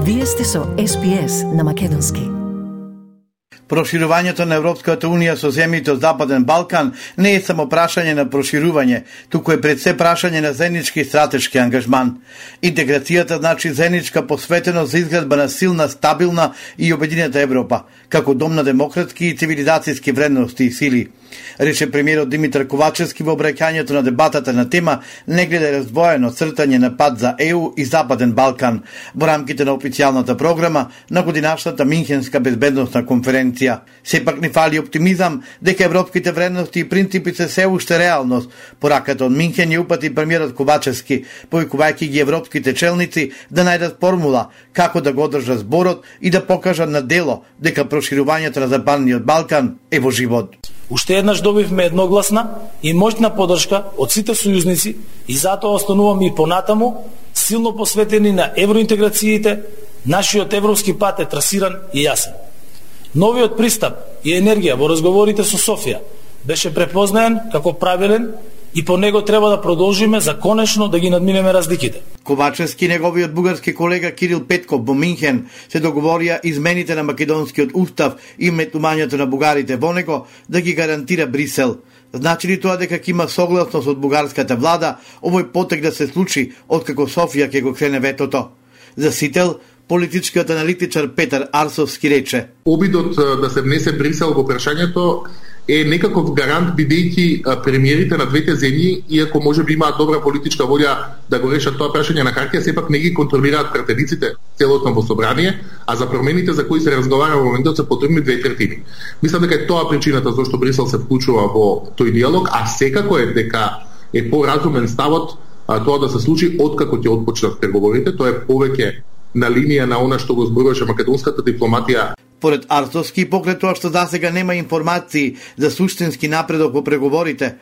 Вие сте со SPS на македонски. Проширувањето на Европската Унија со земјите од Западен Балкан не е само прашање на проширување, туку е пред се прашање на заеднички стратешки ангажман. Интеграцијата значи заедничка посветеност за изградба на силна, стабилна и обединета Европа, како дом на демократски и цивилизацијски вредности и сили. Рече премиерот Димитар Ковачевски во обраќањето на дебатата на тема не гледа раздвоено цртање на пат за ЕУ и Западен Балкан во рамките на официјалната програма на годинашната Минхенска безбедносна конференција. Сепак не фали оптимизам дека европските вредности и принципи се уште реалност. Пораката од Минхен ја упати премиерот Ковачевски, повикувајќи ги европските челници да најдат формула како да го одржат зборот и да покажат на дело дека проширувањето на Западниот Балкан е во живот. Уште еднаш добивме едногласна и моќна поддршка од сите сојузници и затоа остануваме и понатаму силно посветени на евроинтеграциите. Нашиот европски пат е трасиран и јасен. Новиот пристап и енергија во разговорите со Софија беше препознаен како правилен и по него треба да продолжиме за конечно да ги надминеме разликите. Ковачевски и неговиот бугарски колега Кирил Петков во Минхен се договорија измените на македонскиот устав и метнувањето на бугарите во него да ги гарантира Брисел. Значи ли тоа дека ќе има согласност од бугарската влада овој потек да се случи откако Софија ќе го крене ветото? За сител, политичкиот аналитичар Петар Арсовски рече: обидот да се внесе Брисел во прашањето е некаков гарант, бидејќи премиерите на двете земји, иако може би имаат добра политичка волја да го решат тоа прашање на хартија, сепак не ги контролираат пратениците целосно во собрание, а за промените за кои се разговара во моментот се потребни 2/3. Мислам дека е тоа причината зашто Брисел се вклучува во тој диалог, а секако е дека е поразумен ставот тоа да се случи откако ќе отпочнат преговорите. Тоа е повеќе на линија на она што го зборуваше македонската дипломатија. Поред Арсовски, покрај тоа што засега нема информации за суштински напредок во преговорите,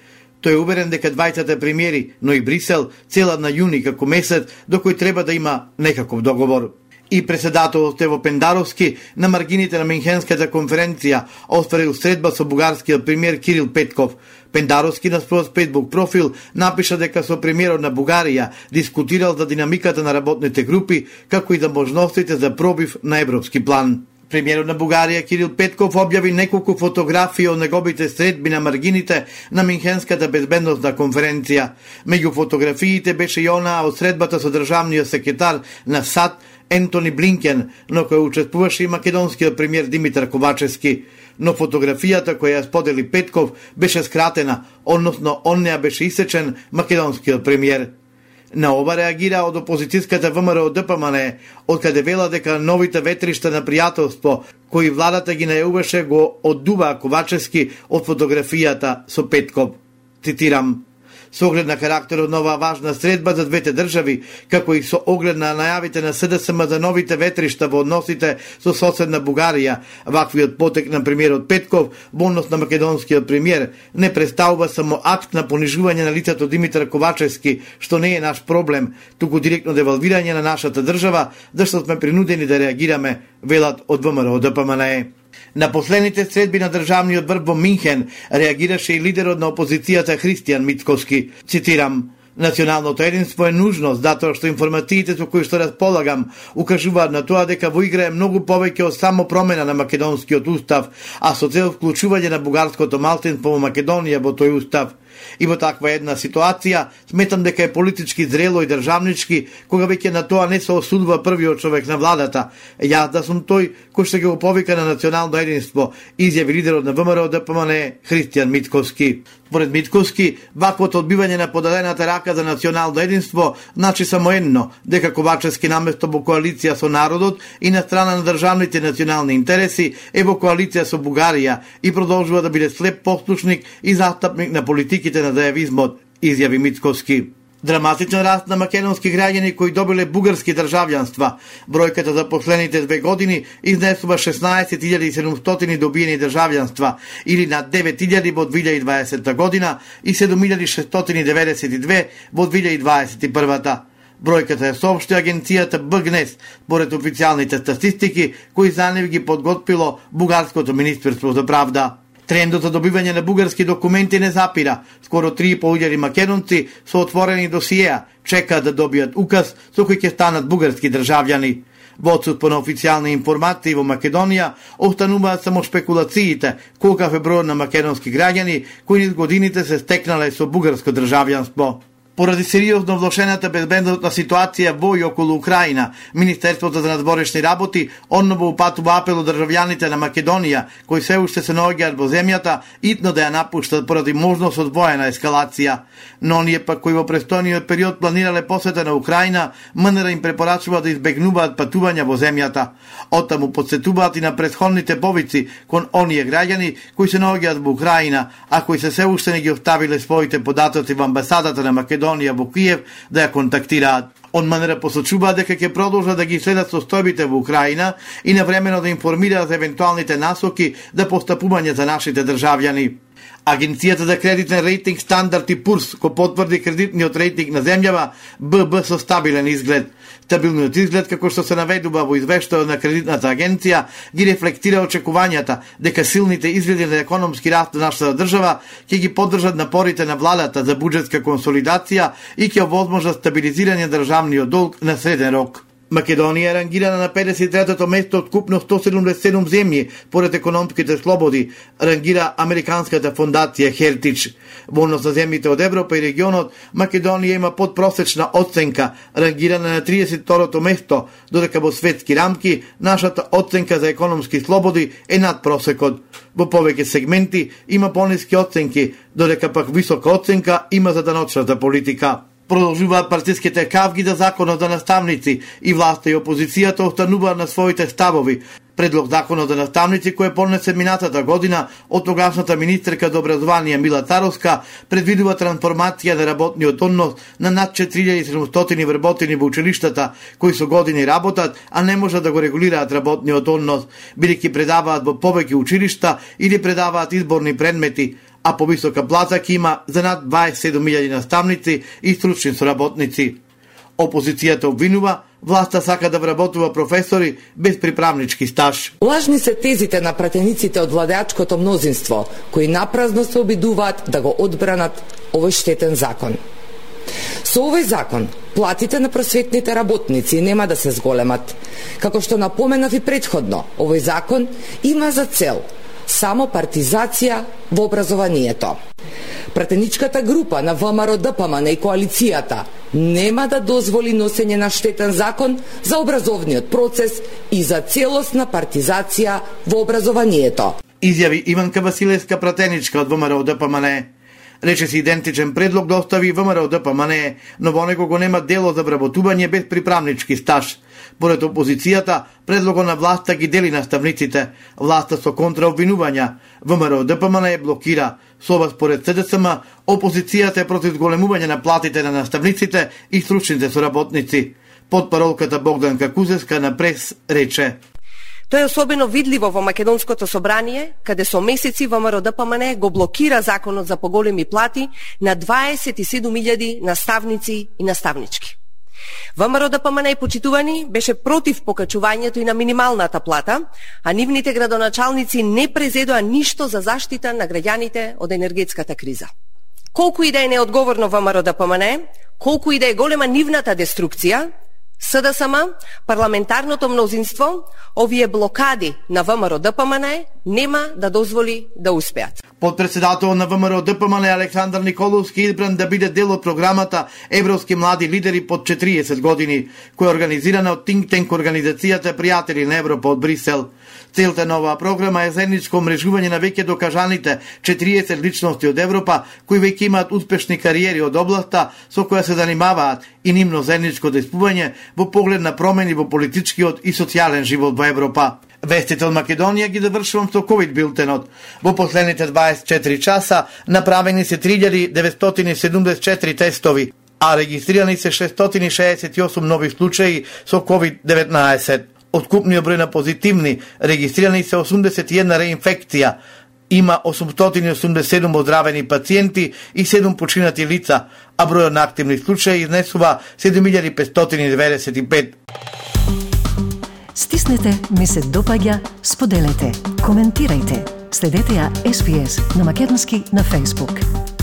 тој е уверен дека двајцата премиери, но и Брисел, целат на јуни како месец до кој треба да има некаков договор. И председателот Ево Пендаровски на маргините на Минхенската конференција остварил средба со бугарскиот премиер Кирил Петков. Пендаровски на својот Facebook профил напиша дека со премиерот на Бугарија дискутирал за динамиката на работните групи, како и за можностите за пробив на европски план. Премиерот на Бугарија Кирил Петков објави неколку фотографии од неговите средби на маргините на Минхенската безбедносна конференција. Меѓу фотографиите беше и онаа од средбата со државниот секретар на САД Ентони Блинкен, но кој учествуваше и македонскиот премиер Димитар Ковачевски. Но фотографијата која ја сподели Петков беше скратена, односно он неа беше исечен македонскиот премиер. На ова реагира од опозицијската ВМРО ДПМН, откаде вела дека новите ветришта на пријателство кои владата ги најавуваше го оддува Ковачевски од фотографијата со Петков. Цитирам: со оглед на карактерот на оваа важна средба за двете држави, како и со оглед на најавите на СДСМ за новите ветришта во односите со соседна Бугарија, ваквиот потек на премиерот Петков во однос на македонскиот премиер не представува само акт на понижување на лицето Димитар Ковачевски, што не е наш проблем, туку директно девалвирање на нашата држава, зашто сме принудени да реагираме, велат од ВМРО ДПМН. На последните средби на државниот врв во Минхен реагираше и лидерот на опозицијата Христијан Мицкоски. Цитирам: националното единство е нужност, затоа што информациите со кои што располагам укажуваат на тоа дека во игра е многу повеќе од само промена на македонскиот устав, а со цел вклучување на бугарското малцинство во Македонија во тој устав. И во таква една ситуација сметам дека е политички зрело и државнички кога веќе на тоа не се осудува првиот човек на владата. Јас да сум тој кој што ќе го повика на национално единство, изјави лидерот на ВМРО ДПМН Христијан Мицкоски. Според Мицкоски, ваквото одбивање на подадената рака за национално единство значи само едно, дека Ковачевски наместо во коалиција со народот и на страна на државните национални интереси е во коалиција со Бугарија и продолжува да биде слеп послушник и застапник на политиките на зајавизмот, изјави Мицкоски. Драматичен раст на македонски граѓани кои добиле бугарски државјанства. Бројката за последните 2 години изнесува 16.700 добиени државјанства, или над 9.000 во 2020 година и 7.692 во 2021. Бројката е соопшти агенцијата БГНЕС, според официјалните статистики кои за нив ги подготвило Бугарското министерство за правда. Трендот за добивање на бугарски документи не запира. Скоро 3.500 македонци со отворени досиеа чекаат да добијат указ со кој ќе станат бугарски државјани. Во отсутство на официјални информации во Македонија, остануваат само шпекулациите колкав е бројот на македонски граѓани кои низ годините се стекнале со бугарско државјанство. Поради сериозно влошената безбедносна ситуација во и околу Украина, Министерството за надворешни работи одново упатува апел од државјаните на Македонија, кои се уште се наоѓаат во земјата, итно да ја напуштат поради можност од воена ескалација. Но оние пак кои во престојниот период планирале посета на Украина, МНР им препорачува да избегнуваат патувања во земјата. Оттаму подсетуваат и на претходните повици кон оние граѓани кои се наоѓаат во Украина, а кои се уште не ги оставиле своите податоци во амбасадата на Македонија во Киев да ја контактираат. Он МНР посочува дека ќе продолжат да ги следат состојбите во Украина и навремено да информираат за евентуалните насоки за постапување за нашите државјани. Агенцијата за кредитен рейтинг Стандард и Пурс го потврди кредитниот рейтинг на земјава ББ со стабилен изглед. Стабилниот изглед, како што се наведува во извештајот на кредитната агенција, ги рефлектира очекувањата дека силните изгледи на економски раст на нашата држава ќе ги поддржат напорите на владата за буџетска консолидација и ќе овозможат стабилизирање државниот долг на среден рок. Македонија е рангирана на 53-то место од купно 177 земји поред економските слободи, рангира американската фондација Heritage. Во однос на земјите од Европа и регионот, Македонија има подпросечна оценка, рангирана на 32-то место, додека во светски рамки нашата оценка за економски слободи е над просекот. Во повеќе сегменти има пониски оценки, додека пак висока оценка има за даночната политика. Продолжуваат партиските кавги за законот за наставници и власта и опозицијата остануваат на своите ставови. Предлог законот за наставници кој поднесе минатата година од тогашната министерка за образование Мила Царовска предвидува трансформација на работниот однос на над 4700 вработени во училиштата кои со години работат, а не можат да го регулираат работниот однос, бидејќи предаваат во повеќе училишта или предаваат изборни предмети, а повисока плата ќе има за над 27.000 наставници и стручни соработници. Опозицијата обвинува власта сака да вработува професори без приправнички стаж. Лажни се тезите на пратениците од владеачкото мнозинство, кои напразно се обидуваат да го одбранат овој штетен закон. Со овој закон, платите на просветните работници нема да се зголемат. Како што напоменав и претходно, овој закон има за цел само партизација во образованието. Пратеничката група на ВМРО-ДПМН и коалицијата нема да дозволи носење на штетен закон за образовниот процес и за целосна партизација во образованието. Изјави Иванка Василевска, пратеничка од ВМРО-ДПМН. Речиси идентичен предлог да остави ВМРО-ДПМН, но во него го нема дело за вработување без приправнички стаж. Поред опозицијата, предлогот на власта ги дели наставниците, власта со контраобвинувања. ВМРО-ДПМН е блокира. Со ова според СДСМ, опозицијата е против зголемување на платите на наставниците и стручните соработници. Потпаролката Богданка Кузевска на прес рече: Тоа е особено видливо во Македонското собрание, каде со месеци ВМРО-ДПМН го блокира законот за поголеми плати на 27.000 наставници и наставнички. ВМРО-ДПМН, почитувани, беше против покачувањето и на минималната плата, а нивните градоначалници не презедоа ништо за заштита на граѓаните од енергетската криза. Колку и да е неодговорно ВМРО-ДПМН, колку и да е голема нивната деструкција, СДСМ, парламентарното мнозинство, овие блокади на ВМРО-ДПМН нема да дозволи да успеат. Подпредседател на ВМРО-ДПМН Александар Николовски избран да биде дел од програмата Европски млади лидери под 40 години, која е организирана од Think Tank организацијата Пријатели на Европа од Брисел. Целта на оваа програма е заедничко мрежување на веќе докажаните 40 личности од Европа кои веќе имаат успешни кариери од областа со која се занимаваат и нивно заедничко дејствување во поглед на промени во политичкиот и социјален живот во Европа. Вестите од Македонија ги завршувам со ковид билтенот. Во последните 24 часа направени се 3974 тестови, а регистрирани се 668 нови случаи со COVID-19. Од купниот број на позитивни регистрирани се 81 реинфекција. Има 887 оздравени пациенти и 7 починати лица, а бројот на активни случаи изнесува 7595. Стиснете, ми се допаѓа, споделете, коментирајте. Следете ја SPS на Македонски на Facebook.